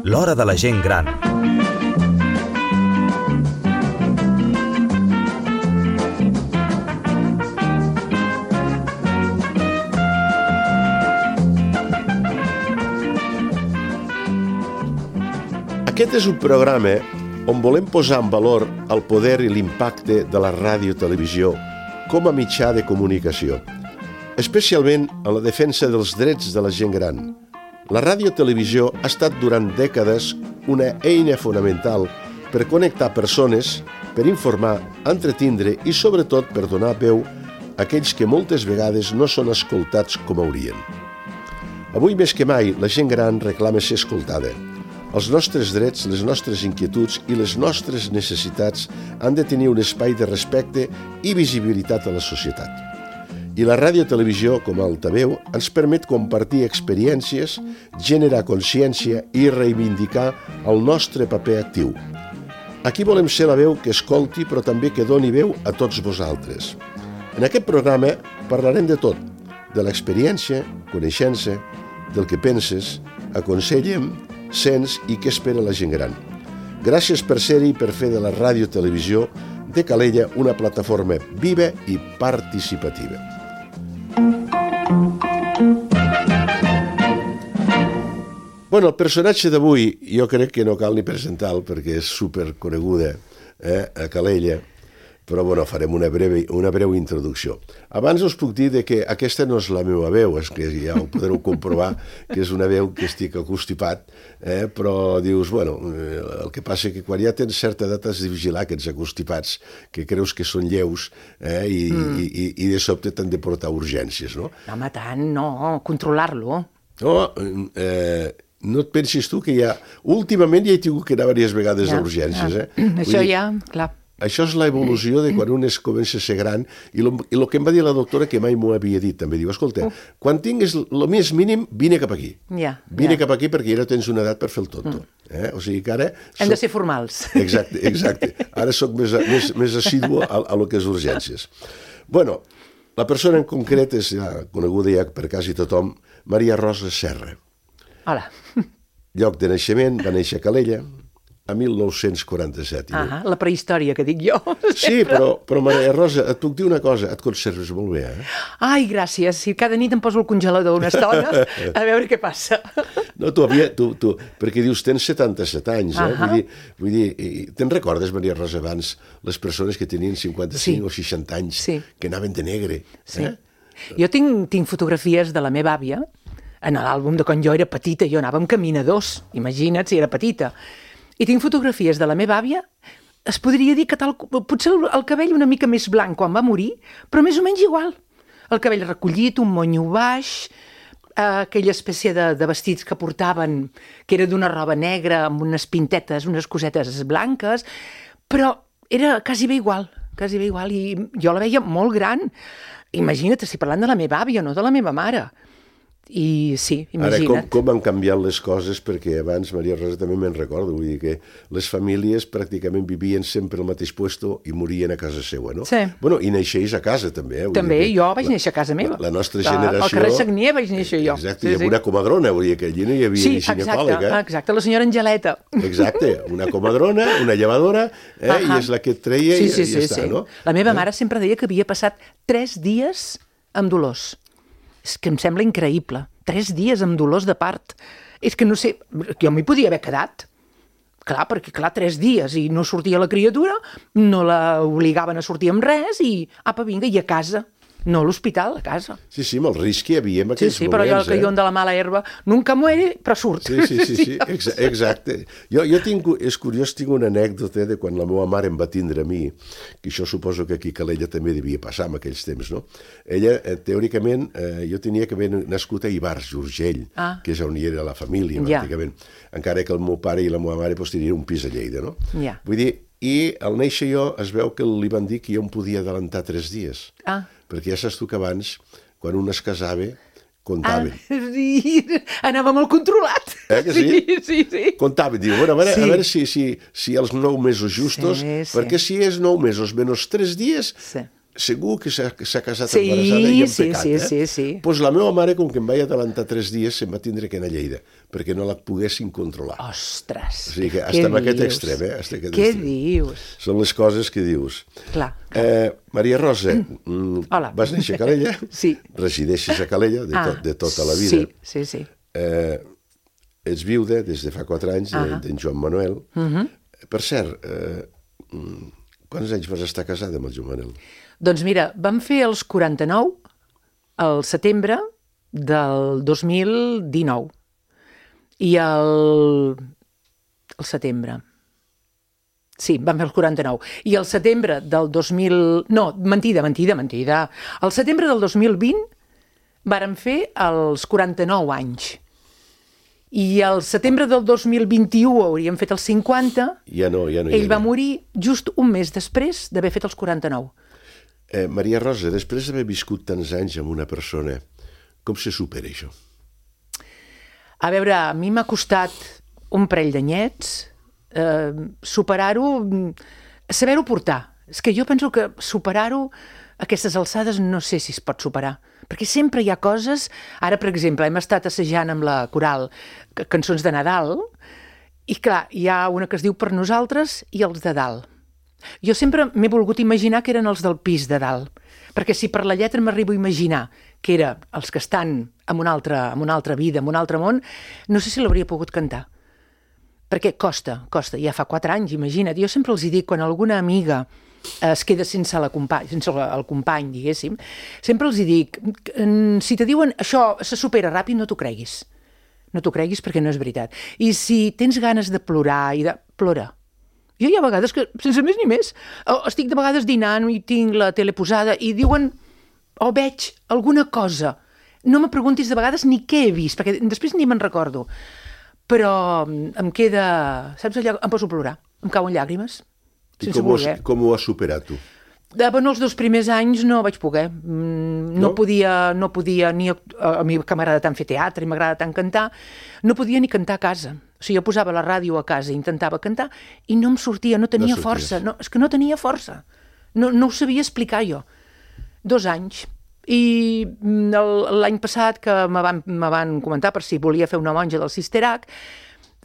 L'hora de la gent gran. Aquest és un programa on volem posar en valor el poder i l'impacte de la ràdio-televisió com a mitjà de comunicació, especialment en la defensa dels drets de la gent gran. La ràdio-televisió ha estat durant dècades una eina fonamental per connectar persones, per informar, entretindre i sobretot per donar veu a aquells que moltes vegades no són escoltats com haurien. Avui més que mai la gent gran reclama ser escoltada. Els nostres drets, les nostres inquietuds i les nostres necessitats han de tenir un espai de respecte i visibilitat a la societat. I la ràdio-televisió, com a altaveu, ens permet compartir experiències, generar consciència i reivindicar el nostre paper actiu. Aquí volem ser la veu que escolti, però també que doni veu a tots vosaltres. En aquest programa parlarem de tot, de l'experiència, coneixença, del que penses, aconsellem, sents i què espera la gent gran. Gràcies per ser-hi i per fer de la ràdio-televisió de Calella una plataforma viva i participativa. Bueno, el personatge d'avui jo crec que no cal ni presentar-lo perquè és superconeguda a Calella, però bueno, farem una breu introducció. Abans us puc dir que aquesta no és la meva veu, és que ja ho podreu comprovar que és una veu que estic acostipat, però dius, bueno, el que passa que quan ja tens certa edat has de vigilar aquests acostipats que creus que són lleus i de sobte t'han de portar urgències, no? No, home, tant, no, controlar-lo. No, no et pensis tu que ja... Últimament ja he tingut que anar diverses vegades a urgències, Això ja, clar. Això és l'evolució de quan un comença a ser gran i el que em va dir la doctora, que mai m'ho havia dit, també diu, escolta, quan tinguis el més mínim, vine cap aquí. Vine cap aquí perquè ja no tens una edat per fer el tonto. O sigui que ara... Hem de ser formals. Exacte. Ara soc més assidu a lo que és urgències. Bueno, la persona en concret és coneguda ja per quasi tothom, Maria Rosa Serra. Hola. Lloc de naixement, va néixer a Calella, a 1947. La prehistòria, que dic jo. Sí, però Maria Rosa, et puc dir una cosa, et conserves molt bé, Ai, gràcies. Si cada nit em poso al congelador una estona, a veure què passa. No, tu, perquè dius, tens 77 anys, Vull dir, te'n recordes, Maria Rosa, abans, les persones que tenien 55 o 60 anys, que anaven de negre? Sí. Jo tinc fotografies de la meva àvia, en l'àlbum de quan jo era petita, jo anava amb caminadors, imagina't si era petita. I tinc fotografies de la meva àvia, es podria dir que potser el cabell una mica més blanc quan va morir, però més o menys igual. El cabell recollit, un monyo baix, aquella espècie de vestits que portaven, que era d'una roba negra amb unes pintetes, unes cosetes blanques, però era quasi bé igual, i jo la veia molt gran. Imagina't, estic parlant de la meva àvia, no de la meva mare. I sí, imagina't. Ara, com han canviat les coses, perquè abans, Maria Rosa, també me'n recordo, vull dir que les famílies pràcticament vivien sempre al mateix puesto i morien a casa seva, no? Sí. Bueno, i naixeix a casa, també. També, jo vaig néixer a casa meva. La nostra generació... Al carrer Sagnier vaig néixer jo. Exacte, i amb una comadrona, vull dir que allí no hi havia ni ginecòleg, exacte, la senyora Angeleta. Exacte, una comadrona, una llevadora, i és la que et treia i ja està, no? La meva mare sempre deia que havia passat 3 dies amb dolors. És que em sembla increïble. 3 dies amb dolors de part. És que no sé, jo m'hi podia haver quedat. Clar, perquè 3 dies i no sortia la criatura, no la obligaven a sortir amb res i apa, vinga, i a casa. No a l'hospital, a casa. Sí, amb el risc que hi havia en aquells moments. Sí, però jo el callón de la mala herba nunca muere, però surt. Sí, exacte. És curiós, tinc una anècdota de quan la meva mare em va tindre a mi, que això suposo que aquí a Calella també devia passar en aquells temps, no? Ella, teòricament, jo tenia que haver nascut a Ivars, Urgell, que és on hi era la família, pràcticament. Encara que el meu pare i la meva mare tenien un pis a Lleida, no? Vull dir, i al néixer jo es veu que li van dir que jo em podia adelantar 3 dies. Perquè ja saps tu que abans, quan un es casava, comptaven. Sí, anava molt controlat. Que sí? Sí. Comptaven, diu, bueno, a veure si els 9 mesos justos, perquè si és 9 mesos menys 3 dies, segur que s'ha casat embarassada i en pecat, Sí. Doncs la meva mare, com que em vaig adelantar 3 dies, se'm va tindre que anar a Lleida, perquè no la poguessin controlar. Ostres, o sigui que estem en aquest extrem, Què dius? Són les coses que dius. Clar. Maria Rosa, Hola. vas néixer a Calella? Sí. Resideixes a Calella de tota la vida. Sí. Ets viuda des de fa 4 anys d'en Joan Manuel. Per cert, quants anys vas estar casada amb el Joan Manuel? Doncs mira, vam fer els 49 al setembre del 2019 i el setembre. Sí, vam fer els 49. I el setembre del 2000... No, mentida. Al setembre del 2020 vàrem fer els 49 anys. I al setembre del 2021 hauríem fet els 50. Ja no. Ell va morir just un mes després d'haver fet els 49. Maria Rosa, després d'haver viscut tants anys amb una persona, com se supera això? A veure, a mi m'ha costat un parell d'anyets superar-ho, saber-ho portar. És que jo penso que superar-ho a aquestes alçades no sé si es pot superar, perquè sempre hi ha coses... Ara, per exemple, hem estat assajant amb la coral cançons de Nadal i, clar, hi ha una que es diu Per nosaltres i els de dalt. Jo sempre m'he volgut imaginar que eren els del pis de dalt, perquè si per la lletra m'arribo a imaginar que eren els que estan en una altra vida, en un altre món, no sé si l'hauria pogut cantar. Perquè costa, ja fa 4 anys, imagina't. Jo sempre els dic, quan alguna amiga es queda sense el company, diguéssim, sempre els dic, si te diuen això se supera ràpid, no t'ho creguis. No t'ho creguis perquè no és veritat. I si tens ganes de plorar, plora. Jo hi ha vegades que, sense més ni més, estic de vegades dinant i tinc la tele posada i diuen, veig alguna cosa. No me preguntis de vegades ni què he vist, perquè després ni me'n recordo. Però em queda, saps allò, em poso a plorar, em cauen llàgrimes, sense voler. Com ho has superat tu? Bueno, els 2 primers anys no vaig poder. No podia ni... A mi que m'agrada tant fer teatre i m'agrada tant cantar, no podia ni cantar a casa. O sigui, jo posava la ràdio a casa i intentava cantar i no em sortia, no tenia força. No, és que no tenia força. No ho sabia explicar jo. 2 anys. I l'any passat que me van comentar per si volia fer una monja del Sisterac,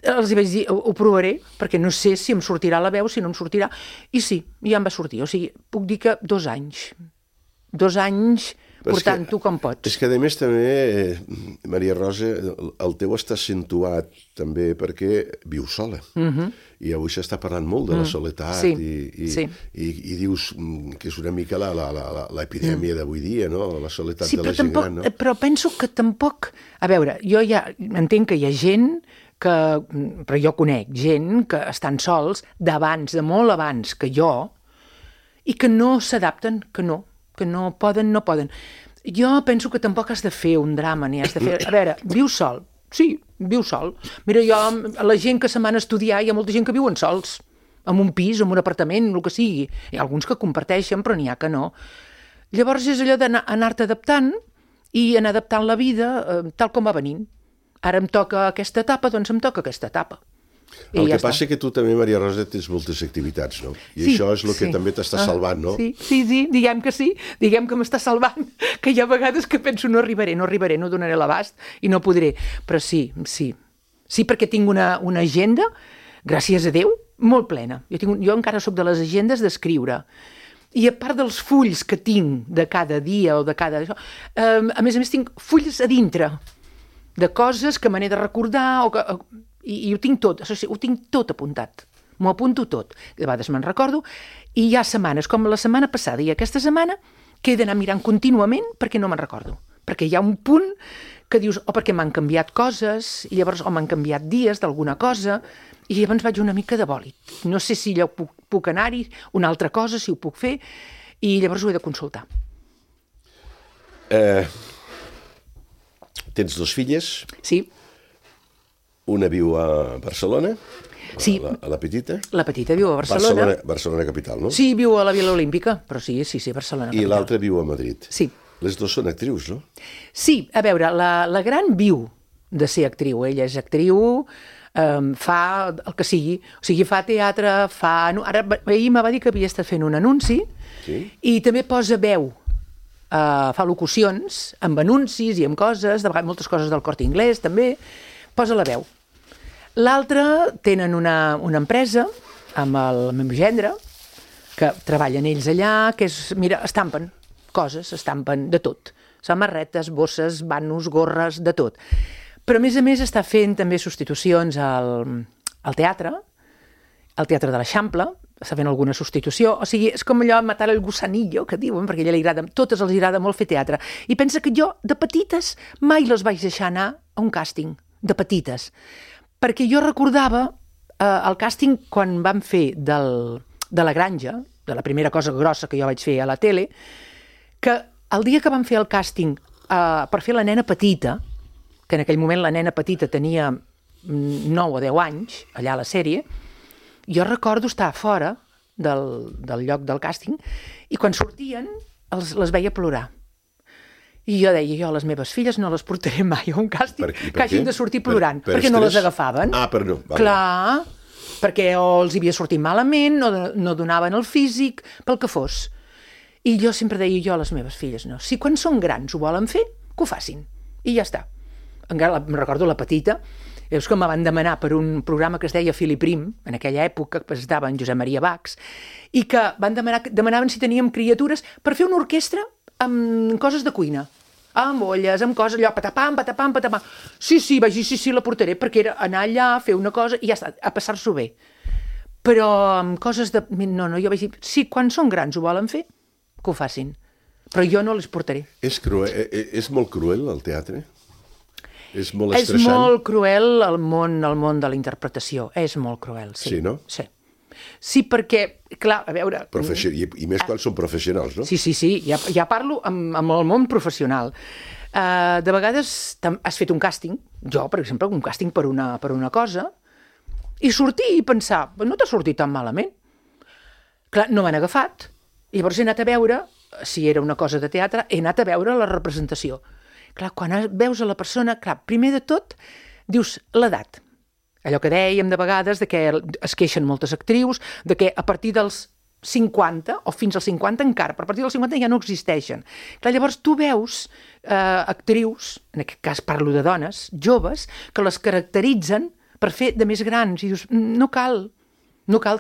els vaig dir, ho provaré, perquè no sé si em sortirà la veu, si no em sortirà. I sí, ja em va sortir. O sigui, puc dir que 2 anys. 2 anys portant-ho com pots. És que, a més, també, Maria Rosa, el teu està accentuat també perquè vius sola. I avui s'està parlant molt de la soledat i dius que és una mica l'epidèmia d'avui dia, no? La soledat de la gent gran, no? Però penso que tampoc... A veure, jo ja entenc que hi ha gent però jo conec gent que estan sols d'abans, de molt abans que jo, i que no s'adapten, que no poden. Jo penso que tampoc has de fer un drama, ni has de fer... A veure, viu sol. Sí, viu sol. Mira, la gent que se'n van a estudiar, hi ha molta gent que viuen sols, en un pis, en un apartament, el que sigui. Hi ha alguns que comparteixen, però n'hi ha que no. Llavors és allò d'anar-te adaptant i anar adaptant la vida tal com va venint. Ara em toca aquesta etapa, doncs em toca aquesta etapa. El que passa és que tu també, Maria Rosa, tens moltes activitats, no? I això és el que també t'està salvant, no? Sí, diguem que sí, diguem que m'està salvant, que hi ha vegades que penso no arribaré, no donaré l'abast i no podré, però sí, perquè tinc una agenda, gràcies a Déu, molt plena. Jo encara soc de les agendes d'escriure. I a part dels fulls que tinc de cada dia o de cada... A més tinc fulls a dintre, de coses que me n'he de recordar i ho tinc tot apuntat. M'ho apunto tot. De vegades me'n recordo i hi ha setmanes, com la setmana passada i aquesta setmana, que he d'anar mirant contínuament perquè no me'n recordo. Perquè hi ha un punt que dius, perquè m'han canviat coses, i llavors m'han canviat dies d'alguna cosa, i llavors vaig una mica de bòlit. No sé si allò puc anar-hi, una altra cosa, si ho puc fer, i llavors ho he de consultar. Tens 2 filles? Sí. Una viu a Barcelona, sí. A la petita? La petita viu a Barcelona. Barcelona capital, no? Sí, viu a la Vila Olímpica, però sí, Barcelona capital. I l'altra viu a Madrid. Sí. Les 2 són actrius, no? Sí, a veure, la gran viu de ser actriu. Ella és actriu, fa el que sigui. O sigui, fa teatre, Ara ahir me va dir que havia estat fent un anunci i també posa veu. Fa locucions amb anuncis i amb coses, de vegades moltes coses del Corte Inglés també, posa la veu. L'altre tenen una empresa amb el meu gendre, que treballen ells allà, que és, mira, estampen coses, estampen de tot. Samarretes, bosses, vanos, gorres, de tot. Però, a més, està fent també substitucions al teatre de l'Eixample, està fent alguna substitució, o sigui, és com allò matar el gusanillo, que diuen, perquè a ella li agrada, totes els agrada molt fer teatre. I pensa que jo, de petites, mai les vaig deixar anar a un càsting, de petites. Perquè jo recordava el càsting quan vam fer de la granja, de la primera cosa grossa que jo vaig fer a la tele, que el dia que vam fer el càsting per fer la nena petita, que en aquell moment la nena petita tenia 9 o 10 anys, allà a la sèrie, jo recordo estar fora del lloc del càsting i quan sortien les veia plorar. I jo deia, jo a les meves filles no les portaré mai a un càsting que hagin de sortir plorant, perquè no les agafaven. No. Vale. Clar, perquè o els havia sortit malament, no donaven el físic, pel que fos. I jo sempre deia, jo a les meves filles no. Si quan són grans ho volen fer, que ho facin. I ja està. Encara em recordo la petita, és que me van demanar per un programa que es deia Fili Prim, en aquella època que presentava en Josep Maria Bax, i que demanaven si teníem criatures per fer una orquestra amb coses de cuina, amb olles, amb coses, allò, patapam. Sí, vaig dir, sí, la portaré, perquè era anar allà, fer una cosa i ja està, a passar-s'ho bé. Però amb coses de... No, jo vaig dir, sí, quan són grans ho volen fer, que ho facin. Però jo no les portaré. És molt cruel, el teatre? És molt estressant? És molt cruel el món de la interpretació. És molt cruel, sí. Sí, no? Sí. Sí, perquè, clar, a veure... I més quan són professionals, no? Sí, ja parlo amb el món professional. De vegades has fet un càsting, jo, per exemple, un càsting per una cosa, i sortir i pensar, no t'ha sortit tan malament. Clar, no m'han agafat. Llavors he anat a veure, si era una cosa de teatre, he anat a veure la representació. Clar, quan veus a la persona, clar, primer de tot, dius l'edat. Allò que dèiem de vegades, de que es queixen moltes actrius, de que a partir dels 50, o fins als 50 encara, però a partir dels 50 ja no existeixen. Clar, llavors tu veus actrius, en aquest cas parlo de dones, joves, que les caracteritzen per fer de més grans, i dius, no cal,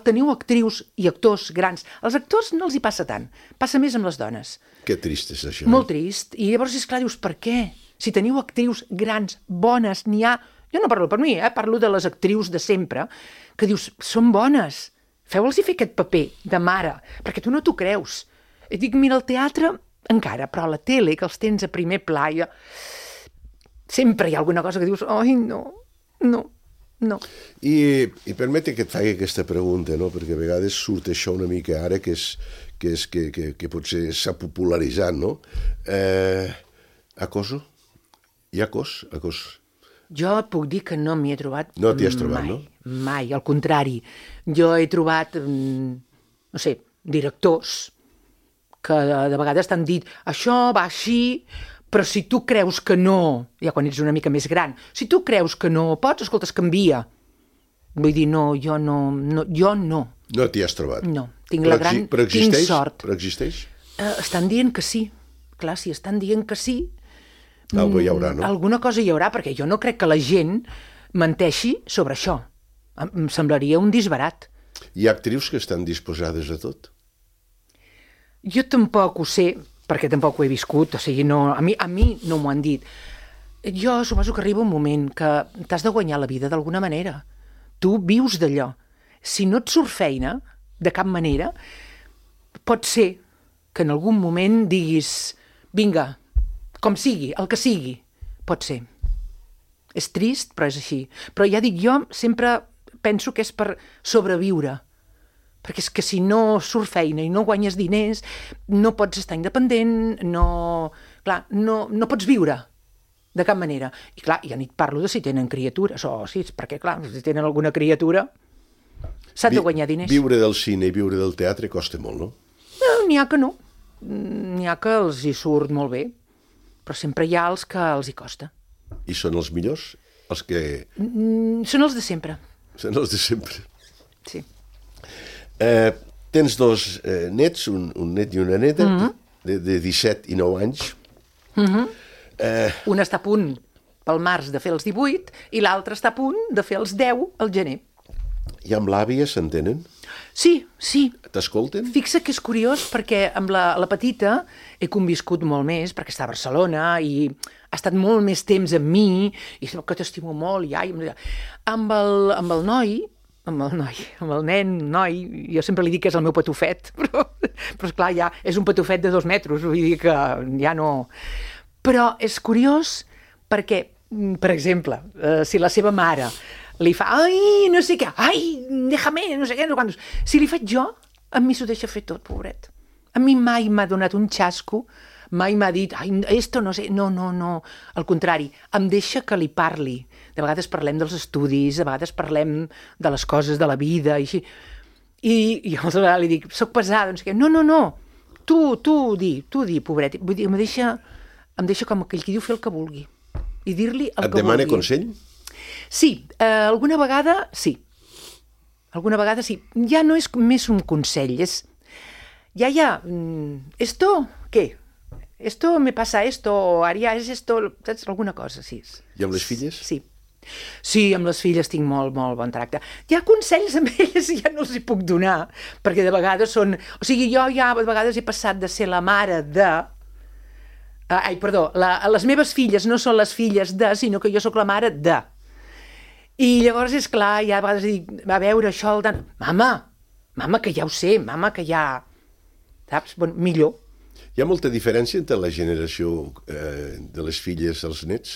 teniu actrius i actors grans. Als actors no els hi passa tant, passa més amb les dones. Que trist és això. Molt trist, i llavors, esclar, dius, per què? Si teniu actrius grans, bones, n'hi ha... Jo no parlo per mi, parlo de les actrius de sempre, que dius, són bones, feu-los fer aquest paper de mare, perquè tu no t'ho creus. I dic, mira, el teatre encara, però a la tele, que els tens a primer pla, sempre hi ha alguna cosa que dius, ai, no. I permete que et faci aquesta pregunta, no? Perquè a vegades surt això una mica ara, que potser s'ha popularitzat, no? Acoso? Hi ha acos? Jo et puc dir que no m'hi he trobat mai. No t'hi has trobat, no? Mai, al contrari. Jo he trobat, no sé, directors que de vegades t'han dit això va així, però si tu creus que no, ja quan ets una mica més gran, si tu creus que no pots, escolta, es canvia. Vull dir, no, jo no. No t'hi has trobat? No, tinc sort. Però existeix? Estan dient que sí. Clar, si estan dient que sí, algo hi haurà, no? Alguna cosa hi haurà, perquè jo no crec que la gent menteixi sobre això. Em semblaria un disbarat. Hi ha actrius que estan disposades a tot? Jo tampoc ho sé, perquè tampoc ho he viscut, o sigui, a mi no m'ho han dit. Jo suposo que arriba un moment que t'has de guanyar la vida d'alguna manera. Tu vius d'allò. Si no et surt feina, de cap manera, pot ser que en algun moment diguis, vinga, com sigui, el que sigui, pot ser. És trist, però és així. Però ja dic, jo sempre penso que és per sobreviure. Perquè és que si no surt feina i no guanyes diners, no pots estar independent, no pots viure de cap manera. I clar, ja ni et parlo de si tenen criatures, perquè clar, si tenen alguna criatura, s'han de guanyar diners. Viure del cine i viure del teatre costa molt, no? N'hi ha que no. N'hi ha que els hi surt molt bé. Però sempre hi ha els que els hi costa. I són els millors? Els que... Són els de sempre. Són els de sempre. Sí. Tens dos nets, un net i una neta, de 17 i 9 anys. Un està a punt pel març de fer els 18 i l'altre està a punt de fer els 10 al gener. I amb l'àvia s'entenen? Sí, sí. T'escolten? Fixa que és curiós perquè amb la petita he conviscut molt més perquè està a Barcelona i ha estat molt més temps amb mi i sembla que t'estimo molt i ai, amb el nen, jo sempre li dic que és el meu patufet, però esclar, ja és un patufet de 2 metres, vull dir que ja no... Però és curiós perquè, per exemple, si la seva mare li fa, ai, no sé què, ai, déjame, no sé què, no quantos. Si li faig jo, a mi s'ho deixa fer tot, pobret. A mi mai m'ha donat un xasco, mai m'ha dit, ai, esto no sé, no. Al contrari, em deixa que li parli. De vegades parlem dels estudis, de vegades parlem de les coses de la vida, i així. I llavors li dic, soc pesada, no sé què, no, tu di, pobret. Vull dir, em deixa com aquell qui diu fer el que vulgui. I dir-li el que vulgui. Et demana consell? Sí, alguna vegada sí. Alguna vegada sí. Ja no és més un consell, és... Ja, esto, què? Esto me pasa esto, ara és esto... Saps? Alguna cosa, sí. I amb les filles? Sí. Sí, amb les filles tinc molt bon tracte. Hi ha consells amb elles i ja no els hi puc donar, perquè de vegades són... O sigui, jo ja de vegades he passat de ser la mare de... les meves filles no són les filles de, sinó que jo sóc la mare de. I llavors, és clar, ja a vegades dic, a veure, això... Mama, que ja ho sé, mama, que ja... Saps? Bueno, millor. Hi ha molta diferència entre la generació de les filles als nets?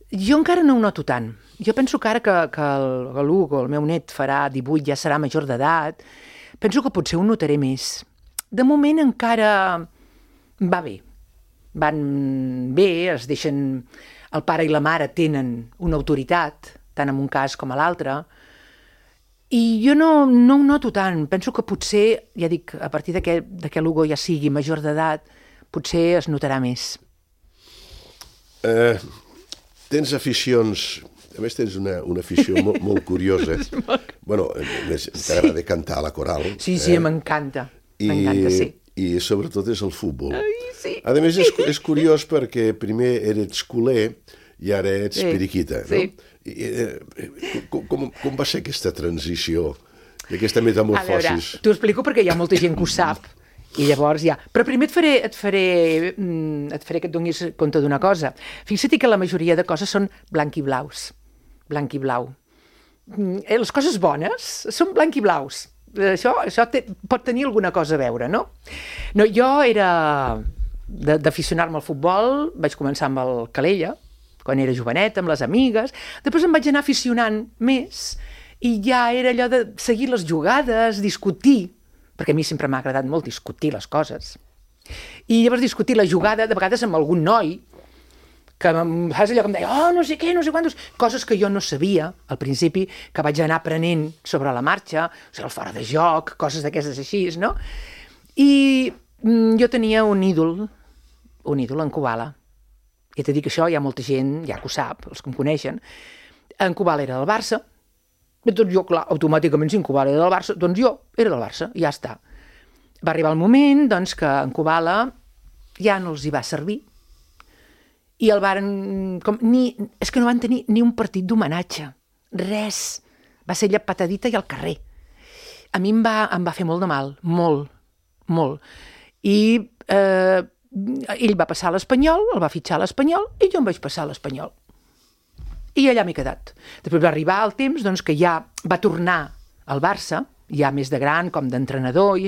Jo encara no ho noto tant. Jo penso que ara que l'Hugo, el meu net, farà 18, ja serà major d'edat, penso que potser ho notaré més. De moment encara va bé. Van bé, es deixen... El pare i la mare tenen una autoritat, tant en un cas com a l'altre, i jo no ho noto tant. Penso que potser, ja dic, a partir que l'Hugo ja sigui major d'edat, potser es notarà més. Tens aficions... A més, tens una afició molt curiosa. Bueno, t'agrada cantar a la coral. Sí, m'encanta. M'encanta, sí. I sobretot és el futbol. Ai, sí. A més, és curiós perquè primer eres culer i ara ets periquita, no? Sí. Com va ser aquesta transició, aquesta metamorfosis? A veure, t'ho explico perquè hi ha molta gent que ho sap. I llavors ja... Però primer et faré que et donis compte d'una cosa. Fixa't que la majoria de coses són blanc i blaus. Blanc i blau. Les coses bones són blanc i blaus. Això pot tenir alguna cosa a veure, no? No, jo era d'aficionar-me al futbol, vaig començar amb el Calella, quan era jovenet, amb les amigues, després em vaig anar aficionant més i ja era allò de seguir les jugades, discutir, perquè a mi sempre m'ha agradat molt discutir les coses. I llavors discutir la jugada, de vegades amb algun noi, que saps allò que em deia, no sé què, no sé quantos, coses que jo no sabia al principi, que vaig anar aprenent sobre la marxa, o sigui, el fora de joc, coses d'aquestes així, no? I jo tenia un ídol en Kubala. I t'he dit que això hi ha molta gent, ja que ho sap, els que em coneixen. En Kubala era del Barça, i doncs jo, clar, automàticament, si en Kubala era del Barça, doncs jo era del Barça, i ja està. Va arribar el moment, doncs, que en Kubala ja no els hi va servir, i el varen... És que no van tenir ni un partit d'homenatge. Res. Va ser allà patadita i al carrer. A mi em va fer molt de mal. Molt. Molt. I ell va passar a l'Espanyol, el va fitxar a l'Espanyol, i jo em vaig passar a l'Espanyol. I allà m'he quedat. Després va arribar el temps doncs, que ja va tornar al Barça, ja més de gran, com d'entrenador,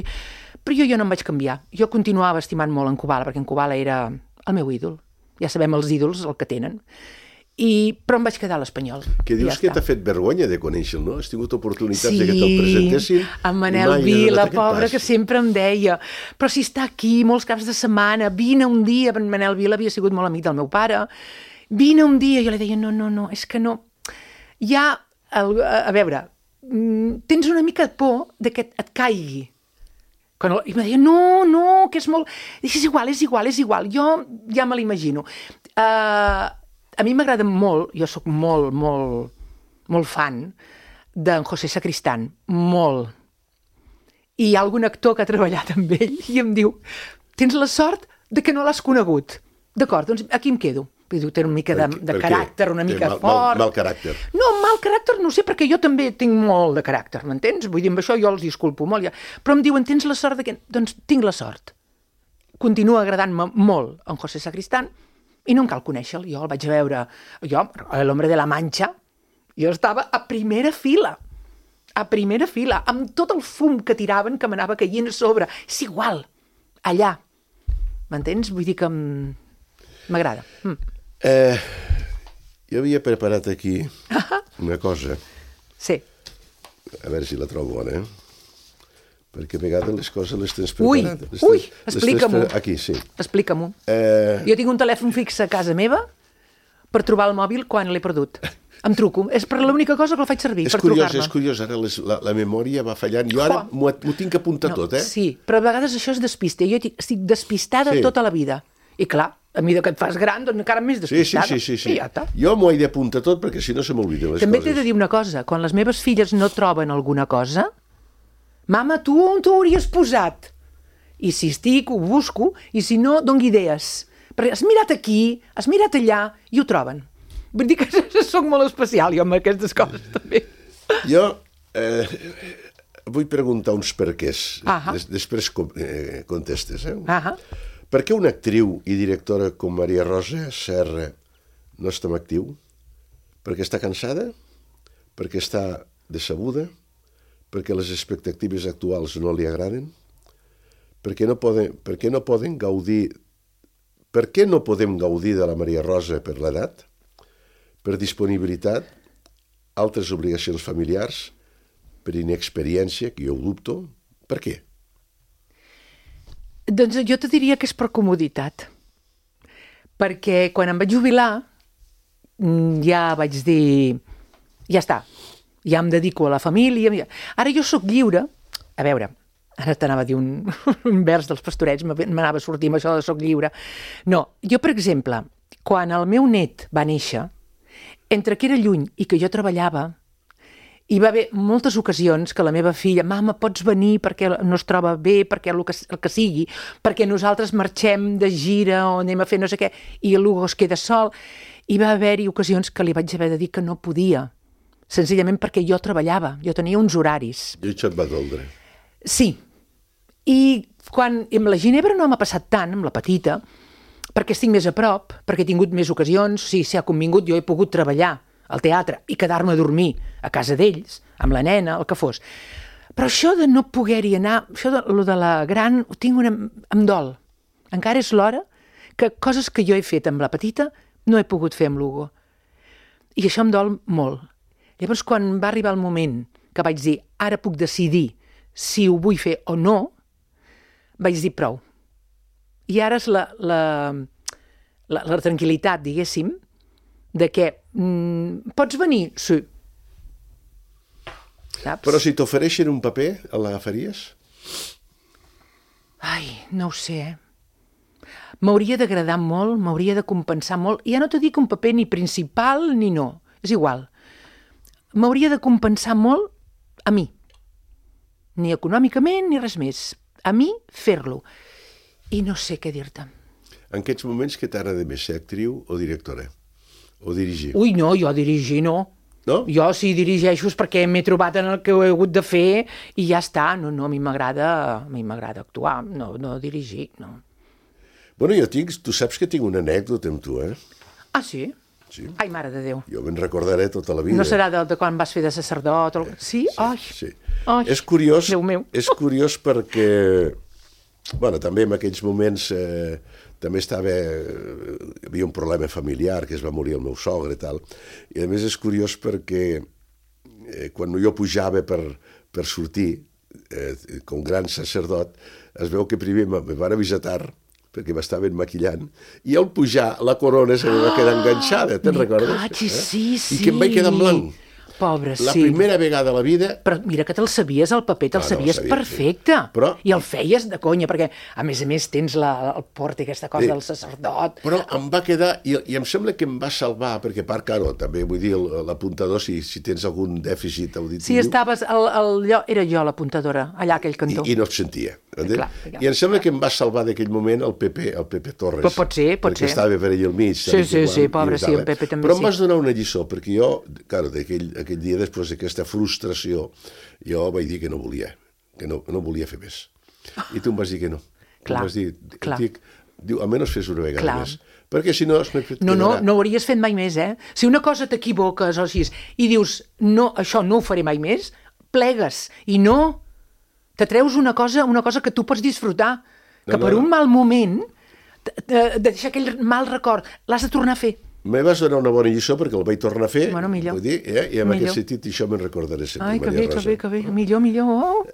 però jo no em vaig canviar. Jo continuava estimant molt en Kubala, perquè en Kubala era el meu ídol. Ja sabem els ídols el que tenen. Però em vaig quedar a l'Espanyol. Que dius que t'ha fet vergonya de conèixer-lo, no? Has tingut oportunitats de que te'l presentessin. Sí, en Manel Vila, pobre, que sempre em deia, però si està aquí molts caps de setmana, vine un dia. En Manel Vila havia sigut molt amic del meu pare. Vine un dia. Jo li deia, no, és que no. Ja, a veure, tens una mica de por de que et caigui. I em deia, no, que és molt... És igual. Jo ja me l'imagino. a mi m'agrada molt, jo sóc molt, molt, molt fan d'en José Sacristán, molt. I hi ha algun actor que ha treballat amb ell i em diu, tens la sort de que no l'has conegut. D'acord, doncs aquí em quedo. Vull dir, té una mica de caràcter, una mica fort. Mal caràcter. No, mal caràcter no sé, perquè jo també tinc molt de caràcter, m'entens? Vull dir, amb això jo els disculpo molt. Ja. Però em diuen, tens la sort de que... Doncs tinc la sort. Continua agradant-me molt en José Sacristán i no em cal conèixer-lo. Jo el vaig veure... Jo, a l'Hombre de la Mancha, jo estava a primera fila, amb tot el fum que tiraven que m'anava caient a sobre. És igual, allà. M'entens? Vull dir que m'agrada. Jo havia preparat aquí una cosa. Sí. A veure si la trobo bona, Perquè a vegades les coses les tens preparades. Ui, explica-m'ho. Aquí, sí. Explica-m'ho. Jo tinc un telèfon fix a casa meva per trobar el mòbil quan l'he perdut. Em truco. És per l'única cosa que el faig servir, per trucar-me. És curiós. Ara la memòria va fallant. Jo ara m'ho tinc que apuntar tot, Sí, però a vegades això és despiste. Jo estic despistada tota la vida. I clar, a mesura que et fas gran, doncs encara més despistada. Sí. I ja està. Jo m'ho he d'apuntar tot perquè si no se m'obliden les coses. També t'he de dir una cosa. Quan les meves filles no troben alguna cosa, mama, tu on t'ho hauries posat? I si estic, ho busco, i si no, doni idees. Perquè has mirat aquí, has mirat allà, i ho troben. Vull dir que soc molt especial, jo, amb aquestes coses, també. Jo vull preguntar uns perquès. Després contestes, Per què una actriu i directora com Maria Rosa Serra no està en actiu? Perquè està cansada? Perquè està decebuda? Perquè les expectatives actuals no li agraden? Per què no podem gaudir de la Maria Rosa per l'edat? Per disponibilitat? Altres obligacions familiars? Per inexperiència, que jo ho dubto? Per què? Doncs jo te diria que és per comoditat. Perquè quan em vaig jubilar ja vaig dir, ja està, ja em dedico a la família. Ara jo sóc lliure. A veure, ara t'anava a dir un vers dels Pastorets, m'anava a sortir amb això de sóc lliure. No, jo, per exemple, quan el meu net va néixer, entre que era lluny i que jo treballava, hi va haver moltes ocasions que la meva filla, mama, pots venir perquè no es troba bé, perquè el que sigui, perquè nosaltres marxem de gira o anem a fer no sé què, i l'Hugo es queda sol. Hi va haver-hi ocasions que li vaig haver de dir que no podia, senzillament perquè jo treballava, jo tenia uns horaris. I això et va doldre. Sí. I amb la Ginebra no m'ha passat tant, amb la petita, perquè estic més a prop, perquè he tingut més ocasions, sí, s'ha convingut, jo he pogut treballar al teatre i quedar-me a dormir a casa d'ells, amb la nena, el que fos. Però això de no poder-hi anar, això de la gran, ho tinc em dol. Encara és l'hora que coses que jo he fet amb la petita no he pogut fer amb l'Hugo. I això em dol molt. Llavors, quan va arribar el moment que vaig dir, ara puc decidir si ho vull fer o no, vaig dir prou. I ara és la tranquil·litat, diguéssim, de que pots venir? Sí. Saps? Però si t'ofereixen un paper, l'agafaries? Ai, no ho sé, M'hauria d'agradar molt, m'hauria de compensar molt. I ja no t'ho dic un paper ni principal ni no, és igual. M'hauria de compensar molt a mi. Ni econòmicament ni res més. A mi, fer-lo. I no sé què dir-te. En aquests moments què t'agrada més, ser actriu o directora? O dirigir? Ui, no, jo dirigir no. No? Jo si dirigeixo és perquè m'he trobat en el que he hagut de fer i ja està. No, a mi m'agrada actuar, no dirigir, no. Bueno, tu saps que tinc una anècdota amb tu, Ah, sí? Sí. Ai, mare de Déu. Jo me'n recordaré tota la vida. No serà de quan vas fer de sacerdot? Sí? Ai. Sí. Ai. És curiós, Déu meu. És curiós perquè, bueno, també en aquells moments també hi havia un problema familiar, que es va morir el meu sogre i tal, i a més és curiós perquè quan jo pujava per sortir com gran sacerdot, es veu que primer me van visitar perquè m'estaven maquillant, i al pujar la corona se me va quedar enganxada, te'n recordes? Sí. I que em vaig quedar en blanc. Pobre, La sí. primera vegada a la vida... Però mira que te'l sabies, el paper te'l sabies sabia, perfecte. sí. Però- I el feies de conya, perquè a més tens el port i aquesta cosa Sí. del sacerdot. Però em va quedar, i em sembla que em va salvar, perquè a part, claro, també vull dir, l'apuntador, si tens algun dèficit auditiu... Si estaves, era jo l'apuntadora, allà a aquell cantó. I no et sentia. Clar. I em sembla que em va salvar d'aquell moment el Pepe Torres. Però pot ser. Perquè estava per allà al mig. Sí, pobre, sí, el Pepe també Però sí. em vas donar una lliçó, perquè jo, claro, aquell dia, després d'aquesta frustració, jo vaig dir que no volia, que no volia fer més. I tu em vas dir que no. Clar, em vas dir, clar. Diu, almenys fes una vegada Clar. més. Perquè si no... No ho hauries fet mai més, eh? Si una cosa t'equivoques o així, i dius, no, això no ho faré mai més, plegues, i no... Te treus una cosa que tu pots disfrutar, que per un mal moment, de deixar aquell mal record, l'has de tornar a fer. Me vas donar una bona lliçó perquè el vaig tornar a fer. Bueno, millor. Vull dir, i en Millor. aquest sentit això me'n recordaré sempre, Ai, que Maria bé, Rosa. que bé. Millor. Oh.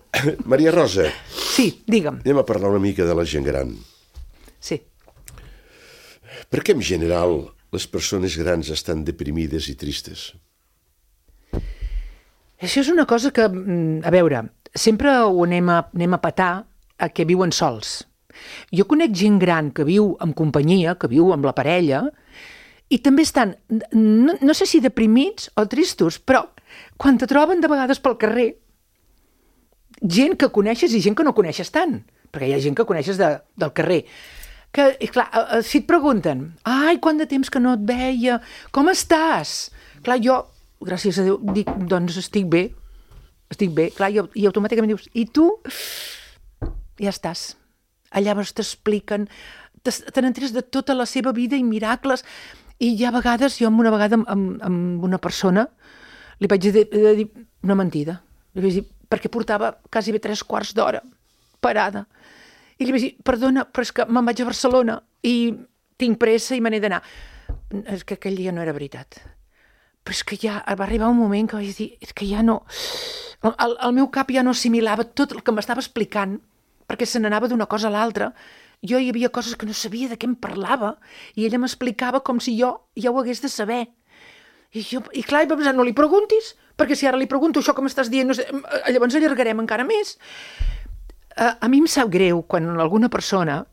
Maria Rosa, Sí, digue'm. anem a parlar una mica de la gent gran. Sí. Per què en general les persones grans estan deprimides i tristes? Això és una cosa que, a veure, sempre ho anem a petar a que viuen sols. Jo conec gent gran que viu amb companyia, que viu amb la parella, i també estan, no sé si deprimits o tristos, però quan te troben de vegades pel carrer, gent que coneixes i gent que no coneixes tant, perquè hi ha gent que coneixes del carrer, que, clar, si et pregunten, ai, quant de temps que no et veia, com estàs? Clar, jo, gràcies a Déu, dic, doncs estic bé, clar, i automàticament dius, i tu? Ja estàs. Llavors t'expliquen, te n'enteres de tota la seva vida i miracles, i hi ha vegades, jo una vegada amb una persona, li vaig dir una mentida. Li vaig dir, perquè portava quasi bé 3/4 d'hora parada. I li vaig dir, perdona, però és que me'n vaig a Barcelona i tinc pressa i me n'he d'anar. És que aquell dia no era veritat. Però és que ja va arribar un moment que vaig dir, és que ja no... El meu cap ja no assimilava tot el que m'estava explicant, perquè se n'anava d'una cosa a l'altra. Jo hi havia coses que no sabia de què em parlava i ella m'explicava com si jo ja ho hagués de saber. I clar, i va pensar, no li preguntis, perquè si ara li pregunto això que m'estàs dient, no sé, llavors allargarem encara més. A mi em sap greu quan alguna persona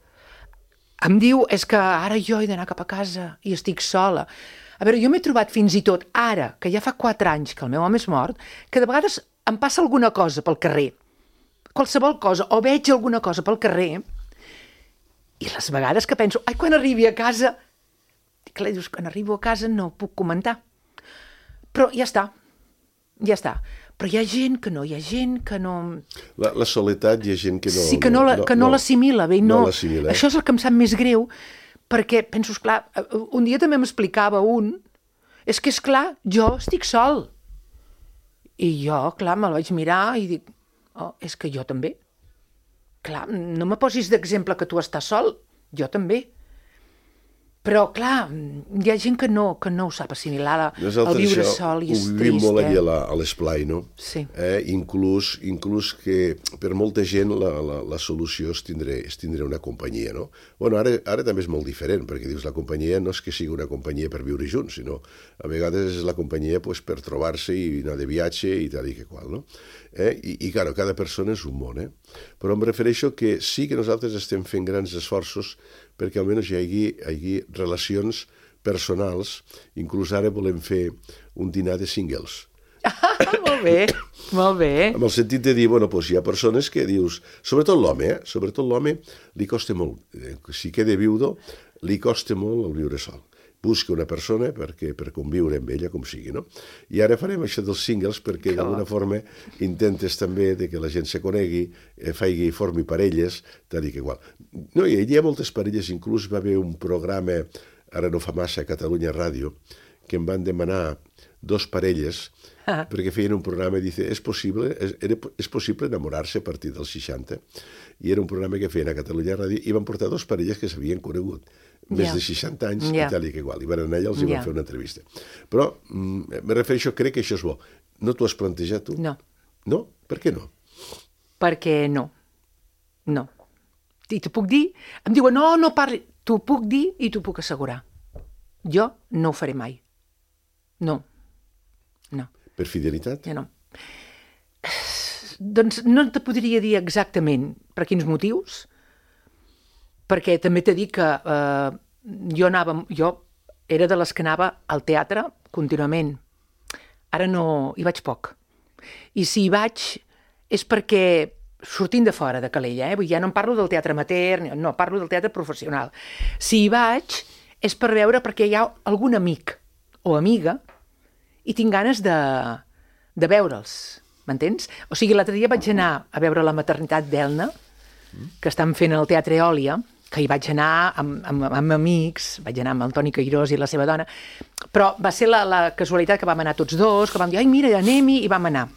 em diu, és que ara jo he d'anar cap a casa i estic sola. A veure, jo m'he trobat fins i tot ara, que ja fa 4 anys que el meu home és mort, que de vegades em passa alguna cosa pel carrer, qualsevol cosa, o veig alguna cosa pel carrer, i les vegades que penso, ai, quan arribi a casa... Clar, dius, quan arribo a casa no ho puc comentar. Però ja està. Però hi ha gent que no, La soledat hi ha gent que no... Sí, que no l'assimila bé. No l'assimila. Això és el que em sap més greu, perquè penso, esclar, un dia també m'explicava és que, esclar, jo estic sol. I jo, clar, me'l vaig mirar i dic, oh, és que jo també. Clar, no me posis d'exemple que tu estàs sol, jo també. Però, clar, hi ha gent que no ho sap assimilar, el viure sol i és trist. Ho vivim molt allà a l'esplai, no? Sí. Inclús que per molta gent la solució és tindre una companyia, no? Bueno, ara també és molt diferent, perquè dius, la companyia no és que sigui una companyia per viure junts, sinó a vegades és la companyia pues, per trobar-se i anar de viatge i tal i que qual, no? I claro, cada persona és un món, Però em refereixo que sí que nosaltres estem fent grans esforços perquè almenys hi hagi relacions personals. Inclús ara volem fer un dinar de singles. Molt bé. Amb el sentit de dir, bueno, doncs hi ha persones que dius, sobretot l'home li costa molt, si queda viudo, li costa molt el viure sol. Busca una persona per conviure amb ella com sigui, no? I ara farem això dels singles perquè d'alguna forma intentes també de que la gent se conegui, formi parelles, tal i que igual. No, hi ha moltes parelles, inclús va haver un programa, ara no fa massa, a Catalunya Ràdio, que em van demanar 2 parelles perquè feien un programa i dice, és possible enamorar-se a partir dels 60? I era un programa que feien a Catalunya Ràdio i van portar 2 parelles que s'havien conegut més de 60 anys i tal i que igual. I van anar allà, els hi van fer una entrevista. Però, me refereixo, crec que això és bo. No t'ho has plantejat, tu? No. No? Per què no? Perquè no. No. I t'ho puc dir? Em diuen, no parli. T'ho puc dir i t'ho puc assegurar. Jo no ho faré mai. No. Per fidelitat? Ja no. Doncs no te podria dir exactament per quins motius, perquè també t'he dit que jo era de les que anava al teatre contínuament. Ara no, hi vaig poc. I si hi vaig és perquè sortint de fora de Calella, vull dir, ja no em parlo del teatre amateur, no, parlo del teatre professional. Si hi vaig és per veure perquè hi ha algun amic o amiga i tinc ganes de veure'ls, m'entens? O sigui, l'altre dia vaig anar a veure la maternitat d'Elna, que estan fent al Teatre Eòlia, que hi vaig anar amb amics, vaig anar amb el Toni Cairós i la seva dona, però va ser la casualitat que vam anar tots dos, que vam dir, ai, mira, anem-hi, i vam anar.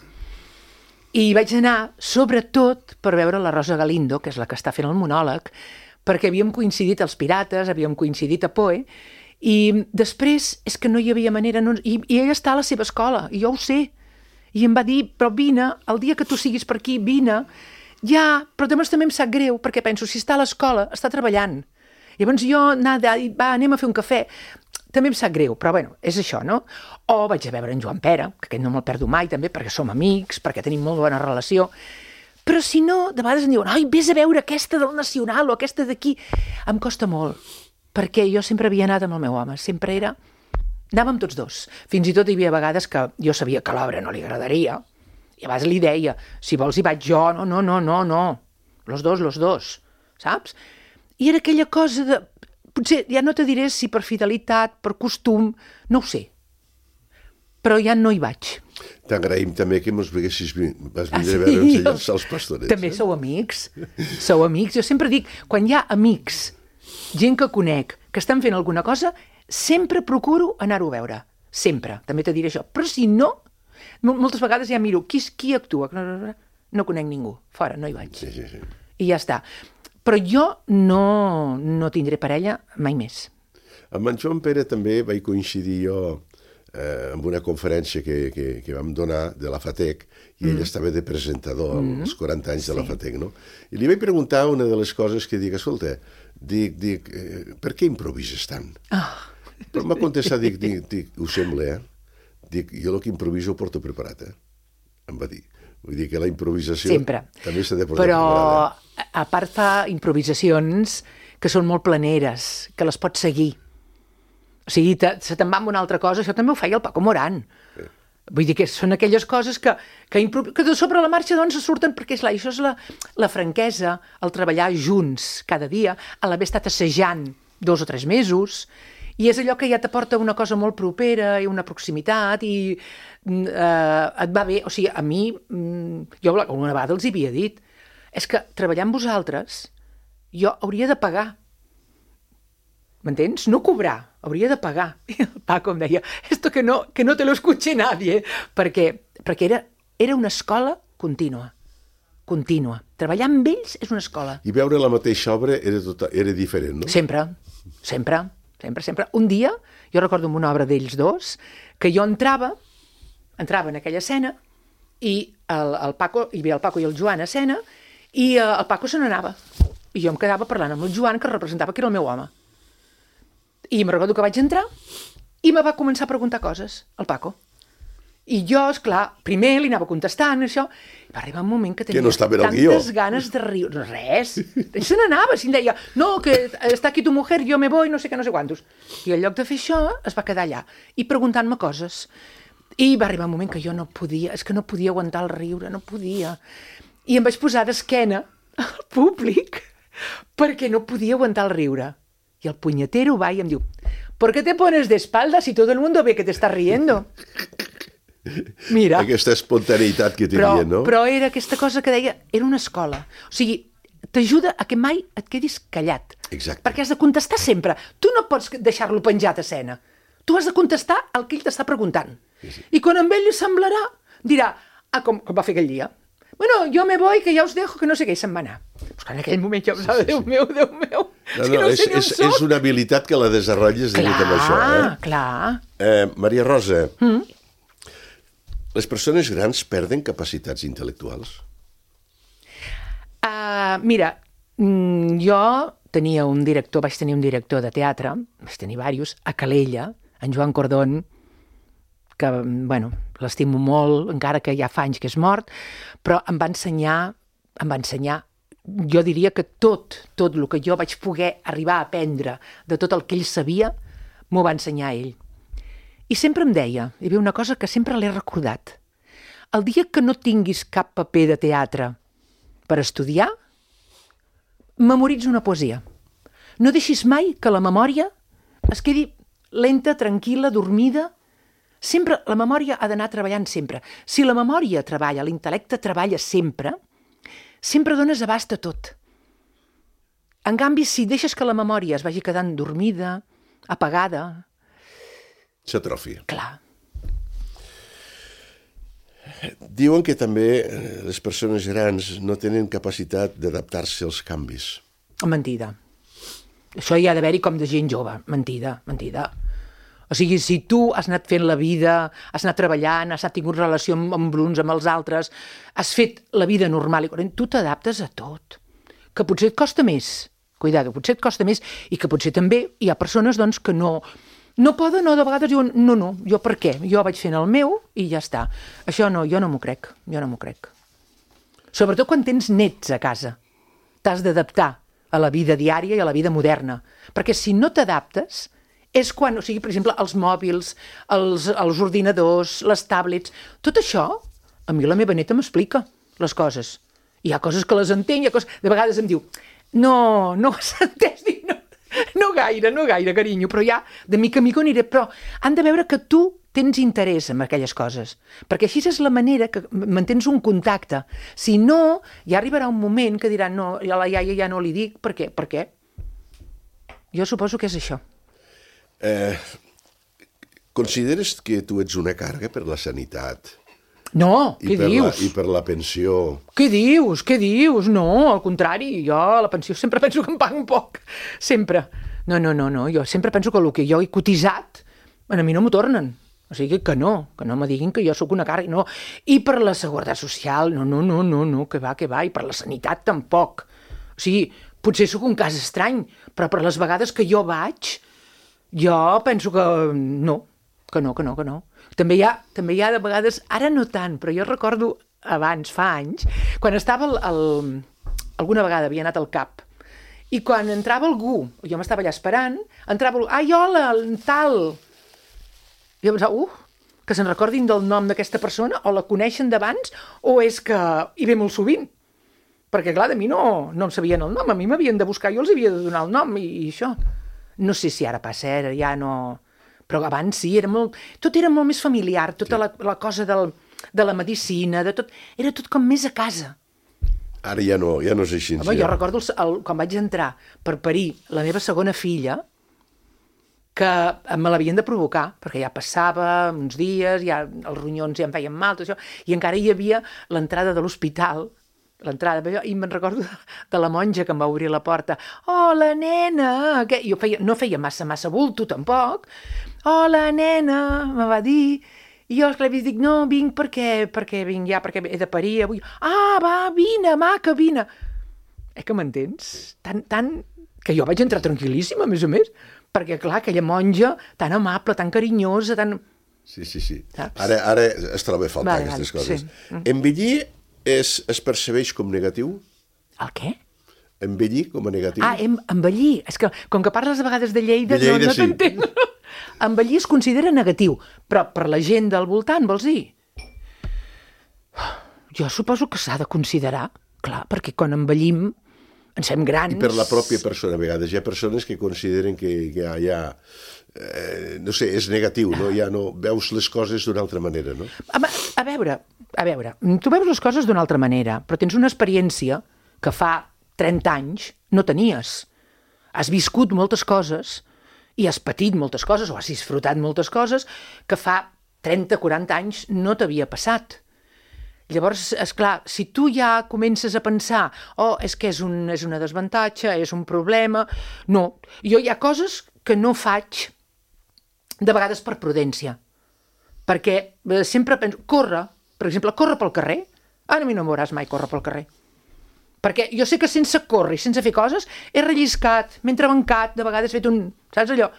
I vaig anar, sobretot, per veure la Rosa Galindo, que és la que està fent el monòleg, perquè havíem coincidit als Pirates, havíem coincidit a Poe, i després és que no hi havia manera, i ella està a la seva escola, i jo ho sé, i em va dir, però vine, el dia que tu siguis per aquí, vine. Ja, però també em sap greu, perquè penso, si està a l'escola, està treballant. Llavors jo, va, anem a fer un cafè. També em sap greu, però bueno, és això, no? O vaig a veure en Joan Pere, que aquest no me'l perdo mai, també, perquè som amics, perquè tenim molt bona relació. Però si no, de vegades em diuen, ai, vés a veure aquesta del Nacional o aquesta d'aquí. Em costa molt, perquè jo sempre havia anat amb el meu home, sempre era... Anàvem tots dos. Fins i tot hi havia vegades que jo sabia que a l'obra no li agradaria, i a vegades li deia, si vols hi vaig jo, no, los dos, saps? I era aquella cosa de... Potser ja no te diré si per fidelitat, per costum, no ho sé. Però ja no hi vaig. T'agraïm també que vas vindre a veure'ns els Pastorets. També sou amics. Jo sempre dic, quan hi ha amics, gent que conec, que estan fent alguna cosa, sempre procuro anar-ho a veure. Sempre. També te diré això. Però si no, moltes vegades ja miro qui actua. No conec ningú. Fora, no hi vaig. Sí. I ja està. Però jo no tindré parella mai més. Amb en Joan Pere també vaig coincidir jo amb una conferència que vam donar de la FATEC, i ell estava de presentador als 40 anys de la FATEC, no? I li vaig preguntar una de les coses que dic, escolta, per què improvises tant? Però m'ha contestat, dic, ho sembla, Dic, jo el que improviso ho porto preparat, em va dir. Vull dir que la improvisació sempre. També s'ha de portar preparada. Però, a part, fa improvisacions que són molt planeres, que les pots seguir. O sigui, se te'n va amb una altra cosa, això també ho feia el Paco Morán. Vull dir que són aquelles coses que de sobre la marxa doncs surten, perquè això és la franquesa, el treballar junts cada dia, a l'haver estat assajant 2 o 3 mesos, i és allò que ja t'aporta una cosa molt propera i una proximitat i et va bé. O sigui, a mi, jo alguna vegada els havia dit, és que treballar amb vosaltres jo hauria de pagar. M'entens? No cobrar, hauria de pagar. I el Paco em deia, esto que no te lo escuche nadie, perquè era una escola contínua. Treballar amb ells és una escola. I veure la mateixa obra era diferent, no? Sempre. Un dia, jo recordo en una obra d'ells dos, que jo entrava en aquella escena i el Paco, hi havia el Paco i el Joan a escena, i el Paco se n'anava. I jo em quedava parlant amb el Joan, que representava que era el meu home. I em recordo que vaig entrar i me va començar a preguntar coses, el Paco. I jo, esclar, primer li anava contestant, això, i va arribar un moment que tenia tantes ganes de riure. Res. Se n'anava, si em deia, no, que està aquí tu mujer, jo me voy, no sé què, no sé quantos. I en lloc de fer això, es va quedar allà, i preguntant-me coses. I va arribar un moment que jo no podia aguantar el riure, no podia. I em vaig posar d'esquena al públic, perquè no podia aguantar el riure. I el punyetero va i em diu, ¿por qué te pones de espaldas si todo el mundo ve que te estás riendo? Mira. Aquesta espontaneïtat que tenia, no? Però era aquesta cosa que deia, era una escola. O sigui, t'ajuda a que mai et quedis callat. Exacte. Perquè has de contestar sempre. Tu no pots deixar-lo penjat a escena. Tu has de contestar el que ell t'està preguntant. Sí. I quan amb ell li semblarà, dirà, com va fer aquell dia. Bueno, yo me voy, que ja us dejo, que no sé què, i se'n va anar. Pues en aquell moment jo pensava, Déu meu. És una habilitat que la desenrotlles amb això. Clar. Maria Rosa, les persones grans perden capacitats intel·lectuals? Mira, jo vaig tenir un director de teatre, vaig tenir diversos, a Calella, en Joan Cordón, que bueno, l'estimo molt, encara que ja fa anys que és mort, però em va ensenyar, jo diria que tot el que jo vaig poder arribar a aprendre de tot el que ell sabia, m'ho va ensenyar ell. I sempre em deia, hi havia una cosa que sempre l'he recordat, el dia que no tinguis cap paper de teatre per estudiar, memoritza una poesia. No deixis mai que la memòria es quedi lenta, tranquil·la, dormida. Sempre, la memòria ha d'anar treballant sempre. Si la memòria treballa, l'intel·lecte treballa sempre, sempre dones abast a tot. En canvi, si deixes que la memòria es vagi quedant dormida, apagada... S'atrofia. Clar. Diuen que també les persones grans no tenen capacitat d'adaptar-se als canvis. Mentida. Això hi ha d'haver-hi com de gent jove. Mentida. O sigui, si tu has anat fent la vida, has anat treballant, has tingut relació amb uns, amb els altres, has fet la vida normal, i tu t'adaptes a tot. Que potser et costa més, potser et costa més, i que potser també hi ha persones doncs, que no poden, o de vegades diuen, no, jo per què? Jo vaig fent el meu i ja està. Això no, jo no m'ho crec. Sobretot quan tens nets a casa. T'has d'adaptar a la vida diària i a la vida moderna. Perquè si no t'adaptes, és quan, o sigui, per exemple, els mòbils, els ordinadors, les tablets, tot això, a mi la meva neta m'explica les coses. Hi ha coses que les entenc, de vegades em diu, no has entès, dic, no gaire, carinyo, però ja de mica en mica aniré, però han de veure que tu tens interès en aquelles coses, perquè així és la manera que mantens un contacte. Si no, ja arribarà un moment que diran, no, a la iaia ja no li dic, per què? Per què? Jo suposo que és això. Consideres que tu ets una càrrega per la sanitat? No, què dius? I per la pensió? Què dius? No, al contrari, jo a la pensió sempre penso que em paguen poc. Sempre. No, jo sempre penso que el que jo he cotitzat a mi no m'ho tornen. O sigui que no me diguin que jo sóc una càrrega, no. I per la seguretat social, no, que va, i per la sanitat tampoc. O sigui, potser sóc un cas estrany, però per les vegades que jo vaig, jo penso que no. També hi ha de vegades, ara no tant, però jo recordo abans, fa anys, quan estava alguna vegada havia anat al CAP, i quan entrava algú, jo m'estava allà esperant, entrava algú, ai, hola, tal. I jo pensava, que se'n recordin del nom d'aquesta persona, o la coneixen d'abans, o és que hi ve molt sovint. Perquè, clar, de mi no em sabien el nom, a mi m'havien de buscar, jo els havia de donar el nom, i això. No sé si ara passa, ja no... Però abans sí, tot era molt més familiar, tota la cosa de la medicina, era tot com més a casa. Ara ja no és així. Home, jo recordo quan vaig entrar per parir la meva segona filla, que me l'havien de provocar, perquè ja passava uns dies, ja els ronyons ja em feien mal, tot això, i encara hi havia l'entrada de l'hospital, i me'n recordo de la monja que em va obrir la porta. Hola, nena! Jo no feia massa bulto, tampoc. Hola, nena! Me va dir. I jo, esclar, dic, no, vinc perquè vinc ja, perquè he de parir avui. Ah, va, vine, maca, vine! Que m'entens? Tant que jo vaig entrar tranquil·líssima, a més, perquè, clar, aquella monja tan amable, tan carinyosa, tan... Sí. Ara es troba a faltar aquestes coses. Sí. Envellir es percebeix com negatiu? El què? Envellir com a negatiu? Envellir. És que, com que parles a vegades de Lleida, no sí. t'entenc. Envellir es considera negatiu, però per la gent del voltant, vols dir? Jo suposo que s'ha de considerar, clar, perquè quan envellim ens fem grans... I per la pròpia persona, a vegades. Hi ha persones que consideren que ja no sé, és negatiu, no? Ja no veus les coses d'una altra manera, no? A veure, tu veus les coses d'una altra manera, però tens una experiència que fa 30 anys no tenies. Has viscut moltes coses i has patit moltes coses o has disfrutat moltes coses que fa 30-40 anys no t'havia passat. Llavors, esclar, si tu ja comences a pensar és que és una desavantatge, és un problema... No, jo hi ha coses que no faig de vegades per prudència, perquè sempre penso, per exemple, córrer pel carrer, a mi no em veuràs mai córrer pel carrer, perquè jo sé que sense córrer i sense fer coses he relliscat, m'he entrebancat, de vegades he fet saps allò?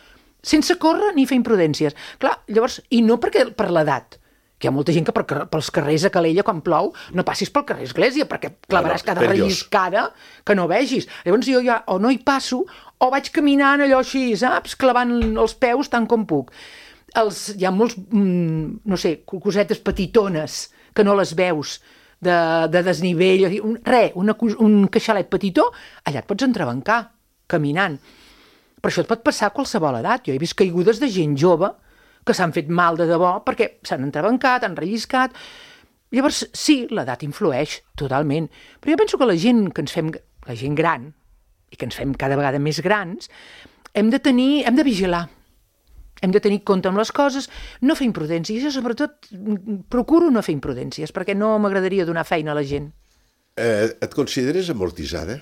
sense córrer ni fer imprudències. Clar, llavors, i no per l'edat, que hi ha molta gent que pels carrers a Calella, quan plou, no passis pel carrer Església, perquè clavaràs cada relliscada que no vegis. Llavors jo ja o no hi passo, o vaig caminant allò així, saps? Clavant els peus tant com puc. Hi ha molts, no sé, cosetes petitones que no les veus, de desnivell, un queixalet petitó, allà et pots entrebancar, caminant. Per això et pot passar a qualsevol edat. Jo he vist caigudes de gent jove que s'han fet mal de debò perquè s'han entrebancat, han relliscat. Llavors, sí, l'edat influeix, totalment. Però jo penso que la gent gran, i que ens fem cada vegada més grans, hem de vigilar. Hem de tenir compte amb les coses, no fer imprudències. Jo, sobretot, procuro no fer imprudències, perquè no m'agradaria donar feina a la gent. Et consideres amortitzada?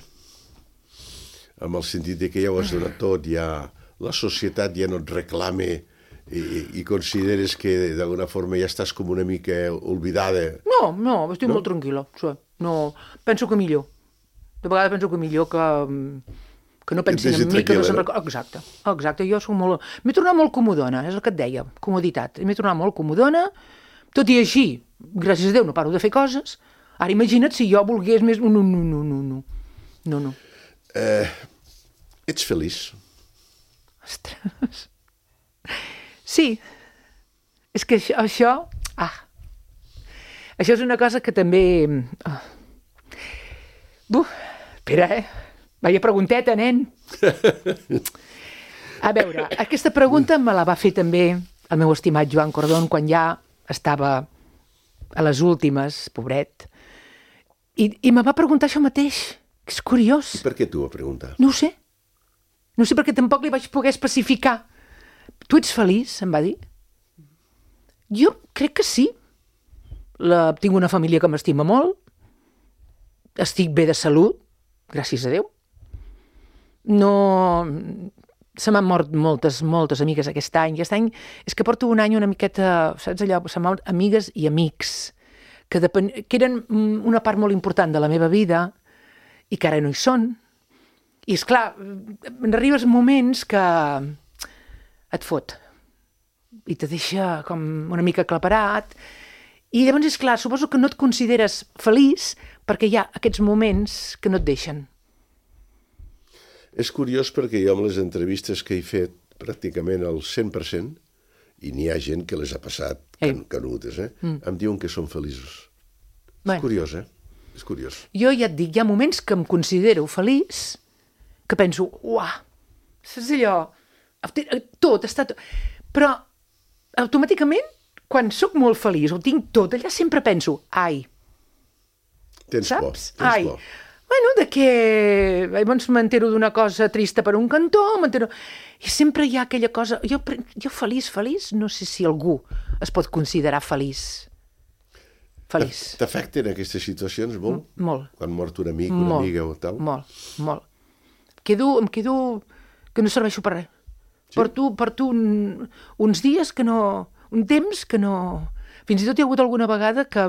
Amb el sentit que ja ho has donat tot, la societat ja no et reclama i consideres que d'alguna forma ja estàs com una mica oblidada? No, estic molt tranquil·la. No, penso que millor. De vegades penso que millor que no pensin en mi, que no se'n recorda. Exacte, jo soc molt... M'he tornat molt comodona, és el que et deia, comoditat. M'he tornat molt comodona, tot i així, gràcies a Déu, no paro de fer coses. Ara imagina't si jo volgués més... No. Ets feliç? Ostres... Sí. És que això... Això és una cosa que també... Espera, Vaya pregunteta, nen. A veure, aquesta pregunta me la va fer també el meu estimat Joan Cordón quan ja estava a les últimes, pobret. I me va preguntar això mateix, que és curiós. I per què t'ho va preguntar? No ho sé. No sé perquè tampoc li vaig poder especificar. Tu ets feliç, em va dir. Jo crec que sí. Tinc una família que m'estima molt. Estic bé de salut, gràcies a Déu. No... Se m'han mort moltes amigues aquest any. Aquest any és que porto un any una miqueta, saps allò, se m'han mort amigues i amics, que eren una part molt important de la meva vida i que ara no hi són. I esclar, arribes moments que et fot i te deixa com una mica aclaparat. I llavors, esclar, suposo que no et consideres feliç perquè hi ha aquests moments que no et deixen. És curiós perquè jo amb les entrevistes que he fet pràcticament al 100%, i n'hi ha gent que les ha passat canutes, em diuen que són feliços. És curiós, És curiós. Jo ja et dic, hi ha moments que em considero feliç, que penso, uah, saps allò, tot està... Però automàticament, quan sóc molt feliç o tinc tot, allà sempre penso, Tens saps? por. Bueno, de què... Llavors m'entero d'una cosa trista per un cantó, i sempre hi ha aquella cosa... Jo feliç, no sé si algú es pot considerar feliç. Feliç. T'afecten aquestes situacions molt? Molt. Quan mort un amic, una amiga o tal? Molt. Em quedo que no serveixo per res. Sí? Porto uns dies que no... Un temps que no... Fins i tot hi ha hagut alguna vegada que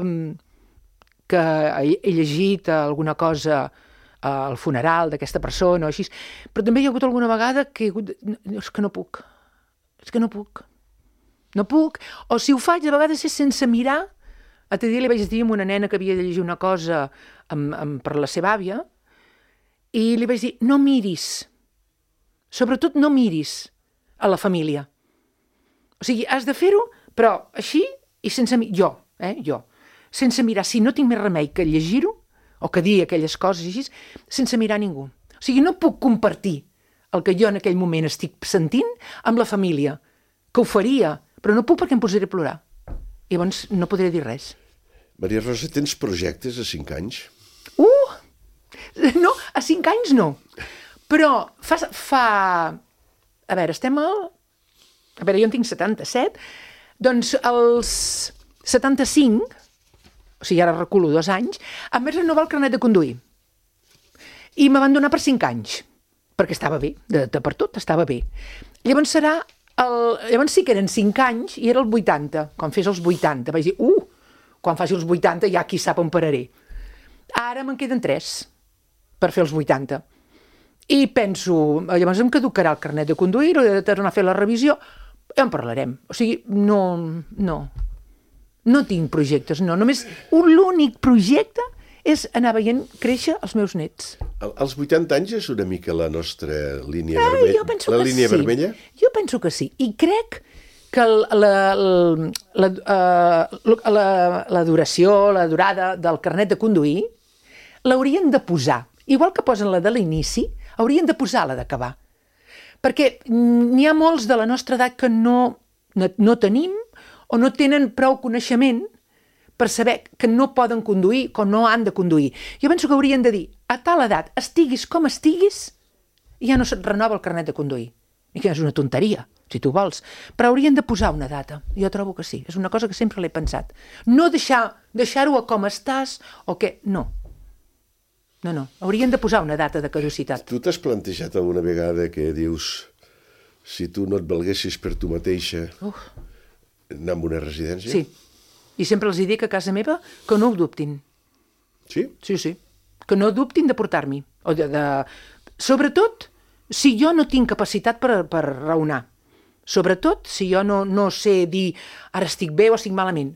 he llegit alguna cosa al funeral d'aquesta persona o així, però també hi ha hagut alguna vegada que és que no puc. No puc. O si ho faig, de vegades és sense mirar. L'altre dia li vaig dir a una nena que havia de llegir una cosa per la seva àvia i li vaig dir, no miris. Sobretot no miris a la família. O sigui, has de fer-ho, però així i sense mirar. Jo. Sense mirar, si no tinc més remei que llegir-ho, o que dir aquelles coses així, sense mirar ningú. O sigui, no puc compartir el que jo en aquell moment estic sentint amb la família, que ho faria, però no puc perquè em posaré a plorar. I llavors no podré dir res. Maria Rosa, tens projectes a 5 anys? No, a 5 anys no. Però fa... A veure, jo en tinc 77, doncs els 75... O sigui, ara reculo 2 anys, em vaig renovar el carnet de conduir. I me van donar per 5 anys, perquè estava bé, per tot estava bé. Llavors llavors sí que eren 5 anys i era el 80, quan fes els 80. Vaig dir, quan faci els 80 ja qui sap on pararé. Ara me'n queden 3 per fer els 80. I penso, llavors em caducarà el carnet de conduir, o de tornar a fer la revisió, ja en parlarem. O sigui, no tinc projectes, no. Només l'únic projecte és anar veient créixer els meus nets. Als 80 anys és una mica la nostra línia vermella? Jo penso la que línia sí. vermella? Jo penso que sí. I crec que la duració, la durada del carnet de conduir, l'haurien de posar. Igual que posen la de l'inici, haurien de posar la d'acabar. Perquè n'hi ha molts de la nostra edat que no tenim o no tenen prou coneixement per saber que no poden conduir, que no han de conduir. Jo penso que haurien de dir, a tal edat, estiguis com estiguis, ja no se't renova el carnet de conduir. I que és una tonteria, si tu vols. Però haurien de posar una data. Jo trobo que sí. És una cosa que sempre l'he pensat. No deixar-ho a com estàs o què. No. No. Haurien de posar una data de caducitat. Tu t'has plantejat alguna vegada que dius, si tu no et valguessis per tu mateixa, anar a una residència? Sí. I sempre els dic a casa meva que no ho dubtin. Sí? Sí. Que no dubtin de portar-m'hi. Sobretot si jo no tinc capacitat per raonar. Sobretot si jo no sé dir ara estic bé o estic malament.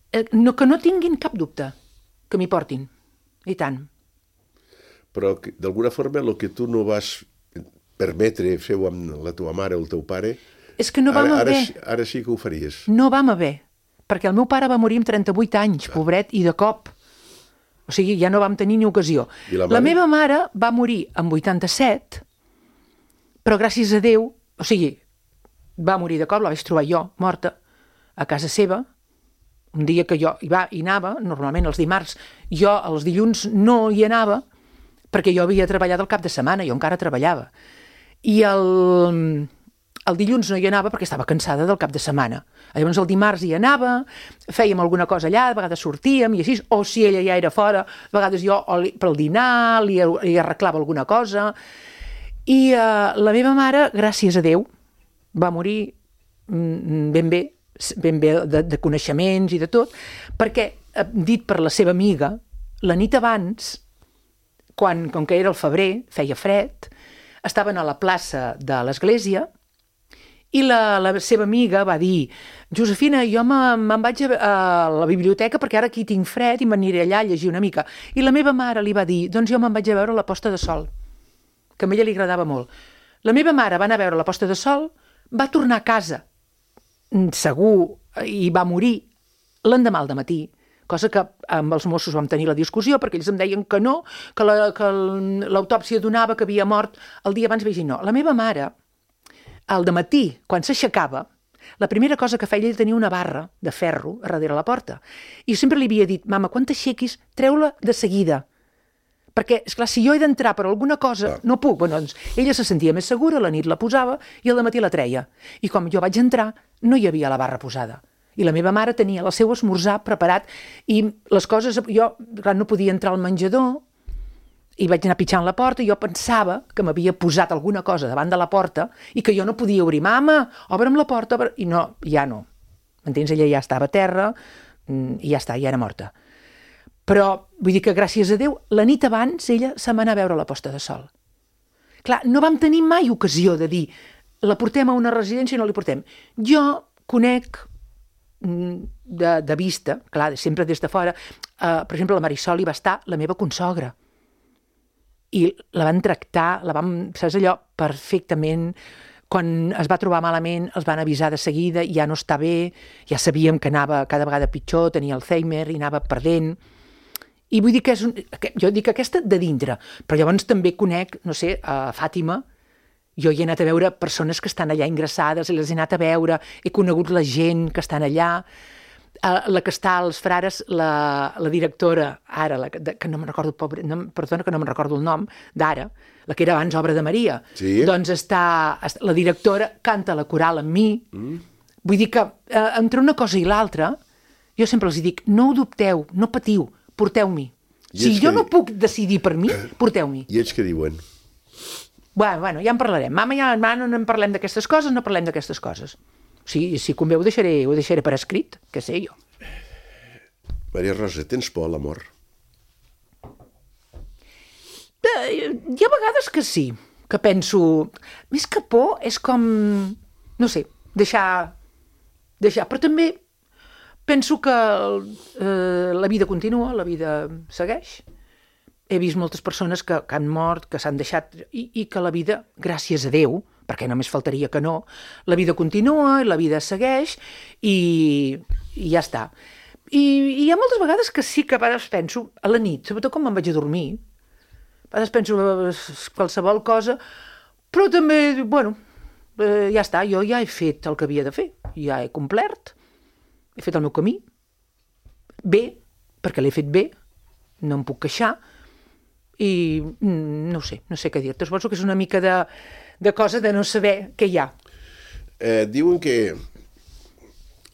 Que no tinguin cap dubte que m'hi portin. I tant. Però d'alguna forma el que tu no vas permetre fer-ho amb la teva mare o el teu pare, és que no vam haver. Ara sí que ho faries. No vam haver. Perquè el meu pare va morir amb 38 anys, pobret, i de cop. O sigui, ja no vam tenir ni ocasió. La meva mare va morir amb 87, però gràcies a Déu, o sigui, va morir de cop, la vaig trobar jo, morta, a casa seva, un dia que jo hi anava, normalment els dimarts, jo els dilluns no hi anava, perquè jo havia treballat el cap de setmana, jo encara treballava. I el dilluns no hi anava perquè estava cansada del cap de setmana. Llavors el dimarts hi anava, fèiem alguna cosa allà, de vegades sortíem i així, o si ella ja era fora, de vegades jo pel dinar li arreglava alguna cosa. I la meva mare, gràcies a Déu, va morir ben bé de coneixements i de tot, perquè, dit per la seva amiga, la nit abans, com que era el febrer, feia fred, estaven a la plaça de l'església i la seva amiga va dir, Josefina, jo me'n vaig a la biblioteca perquè ara aquí tinc fred i m'aniré allà a llegir una mica. I la meva mare li va dir, doncs jo me'n vaig a veure la posta de sol, que a ella li agradava molt. La meva mare va anar a veure la posta de sol, va tornar a casa, segur, i va morir l'endemà al dematí, cosa que amb els Mossos vam tenir la discussió perquè ells em deien que no, que l'autòpsia donava que havia mort el dia abans. Vaig dir no. La meva mare, al dematí, quan s'aixecava, la primera cosa que feia ell tenia una barra de ferro a darrere la porta. I sempre li havia dit, mama, quan t'aixequis, treu-la de seguida. Perquè, esclar, si jo he d'entrar per alguna cosa, no puc. Bueno, doncs, ella se sentia més segura, la nit la posava i al dematí la treia. I com jo vaig entrar, no hi havia la barra posada. I la meva mare tenia el seu esmorzar preparat i les coses... Jo, clar, no podia entrar al menjador i vaig anar pitjant la porta i jo pensava que m'havia posat alguna cosa davant de la porta i que jo no podia obrir. Mama, obre'm la porta. I no, ja no. M'entens? Ella ja estava a terra i ja està, ja era morta. Però vull dir que gràcies a Déu, la nit abans ella se m'anà a veure la posta de sol. Clar, no vam tenir mai ocasió de dir la portem a una residència i no li portem. Jo conec de vista, clar, sempre des de fora, per exemple, la Marisol hi va estar la meva consogra. I la van tractar, saps allò, perfectament. Quan es va trobar malament, els van avisar de seguida, ja no està bé, ja sabíem que anava cada vegada pitjor, tenia Alzheimer i anava perdent. I vull dir que jo dic aquesta de dintre, però llavors també conec, no sé, a Fàtima, jo hi he anat a veure persones que estan allà ingressades, les he anat a veure, he conegut la gent que estan allà, la que està als Frares, la directora, ara, que no me'n recordo, perdona que no me'n recordo el nom, d'ara, la que era abans Obra de Maria, sí. Doncs la directora canta la coral amb mi. Vull dir que entre una cosa i l'altra, jo sempre els dic, no ho dubteu, no patiu, porteu-m'hi. Si jo no puc decidir per mi, porteu-m'hi. I ells què diuen? Bueno, ja en parlarem. Mama, ja no en parlem d'aquestes coses, no parlem d'aquestes coses. Sí, si convé ho deixaré per escrit, que sé jo. Maria Rosa, tens por a la mort? Hi ha vegades que sí, que penso... Més que por és com, no sé, deixar... Però també penso que la vida continua, la vida segueix. He vist moltes persones que han mort, que s'han deixat, i que la vida, gràcies a Déu, perquè només faltaria que no, la vida continua, la vida segueix, i ja està. I hi ha moltes vegades que sí que a vegades penso, a la nit, sobretot quan me'n vaig a dormir, a vegades penso qualsevol cosa, però també, bueno, ja està, jo ja he fet el que havia de fer, ja he complert, he fet el meu camí, bé, perquè l'he fet bé, no em puc queixar, i no sé què dir-te. Suposo que és una mica de cosa de no saber què hi ha. Diuen que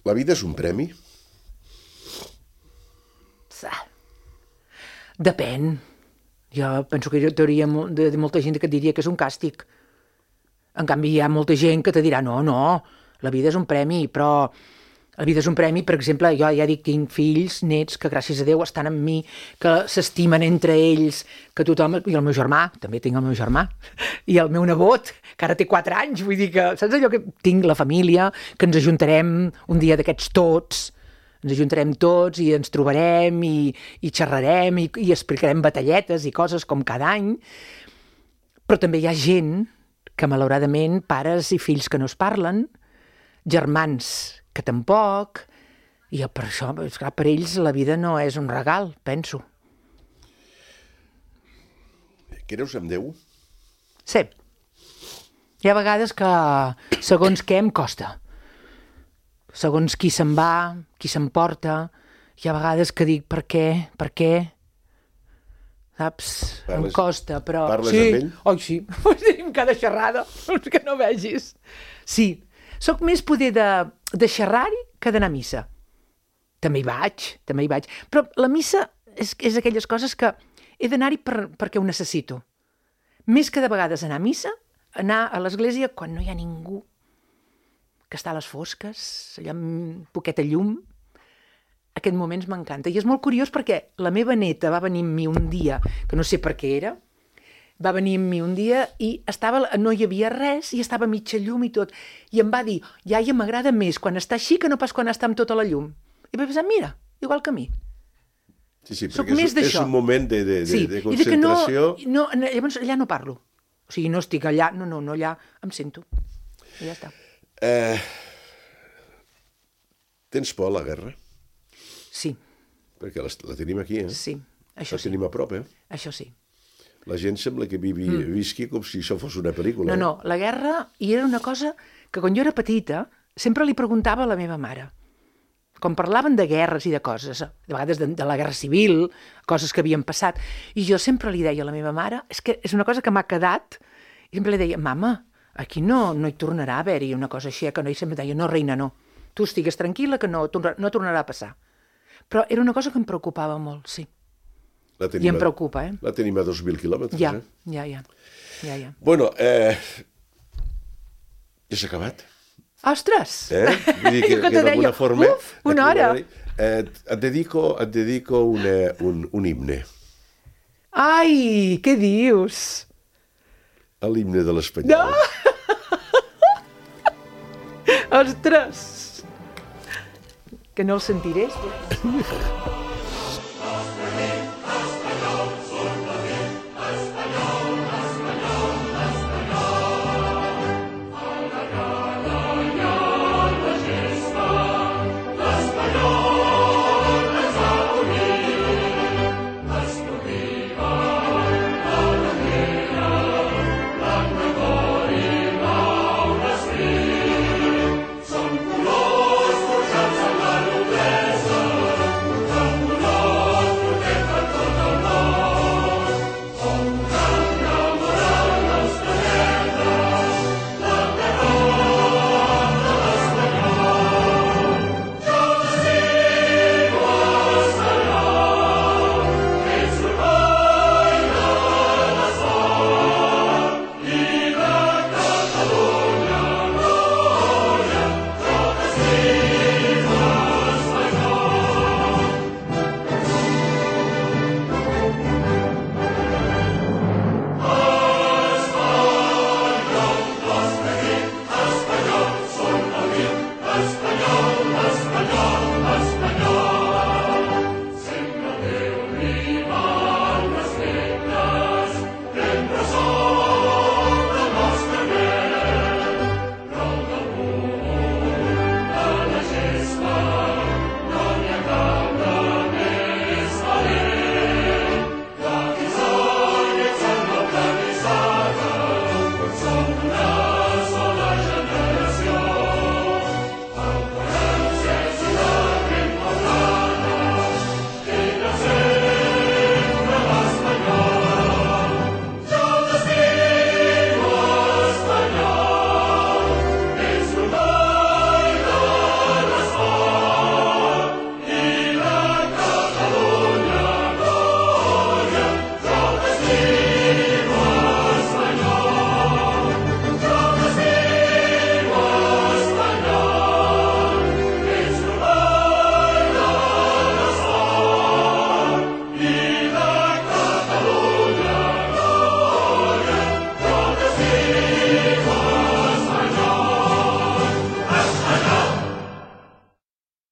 la vida és un premi? Depèn. Jo penso que hi hauria molta gent que et diria que és un càstig. En canvi, hi ha molta gent que te dirà no, la vida és un premi, però la vida és un premi, per exemple, jo ja dic, tinc fills, nets, que gràcies a Déu estan amb mi, que s'estimen entre ells, que tothom... I el meu germà, també tinc el meu germà, i el meu nebot, que ara té 4 anys, vull dir que, saps allò que tinc la família, que ens ajuntarem un dia d'aquests tots, ens ajuntarem tots i ens trobarem i xerrarem i explicarem batalletes i coses com cada any, però també hi ha gent que malauradament, pares i fills que no es parlen, germans que tampoc, i per això, esclar, per ells la vida no és un regal, penso. Creus en Déu? Sí. Hi ha vegades que segons què em costa. Segons qui se'n va, qui s'emporta, hi ha vegades que dic per què? Saps? Em costa, però... Parles amb ell? Oi, sí. Tenim cada xerrada, que no vegis. Sí. Soc més poder de xerrar-hi que d'anar a missa. També hi vaig. Però la missa és aquelles coses que he d'anar-hi perquè ho necessito. Més que de vegades anar a missa, anar a l'església quan no hi ha ningú, que està a les fosques, allà amb poqueta llum. Aquest moments m'encanta. I és molt curiós perquè la meva neta va venir amb mi un dia, que no sé per què era, va venir amb mi un dia i no hi havia res i estava a mitja llum i tot. I em va dir, iaia, m'agrada més quan està així que no pas quan està amb tota la llum. I vaig pensar, mira, igual que a mi. Sí, perquè és un moment de concentració. Llavors allà no parlo. O sigui, no estic allà, no, allà em sento. I ja està. Tens por a la guerra? Sí. Perquè la tenim aquí, eh? Sí, això sí. La tenim a prop, eh? Això sí. La gent sembla que visqui com si això fos una pel·lícula. No, la guerra, i era una cosa que quan jo era petita sempre li preguntava a la meva mare. Com parlaven de guerres i de coses, de vegades de la guerra civil, coses que havien passat, i jo sempre li deia a la meva mare, és que és una cosa que m'ha quedat, i sempre li deia, mama, aquí no hi tornarà a haver-hi una cosa així, que no, i sempre deia, no, reina, no, tu estigues tranquil·la que no tornarà a passar. Però era una cosa que em preocupava molt, sí. I em preocupa, eh? La tenim a 2.000 quilòmetres, ja. Bueno, ja s'ha acabat. Ostres! Vull dir que d'alguna forma... Una hora! Et dedico un himne. Ai, què dius? L'himne de l'Espanyol. Ostres! Que no el sentiré?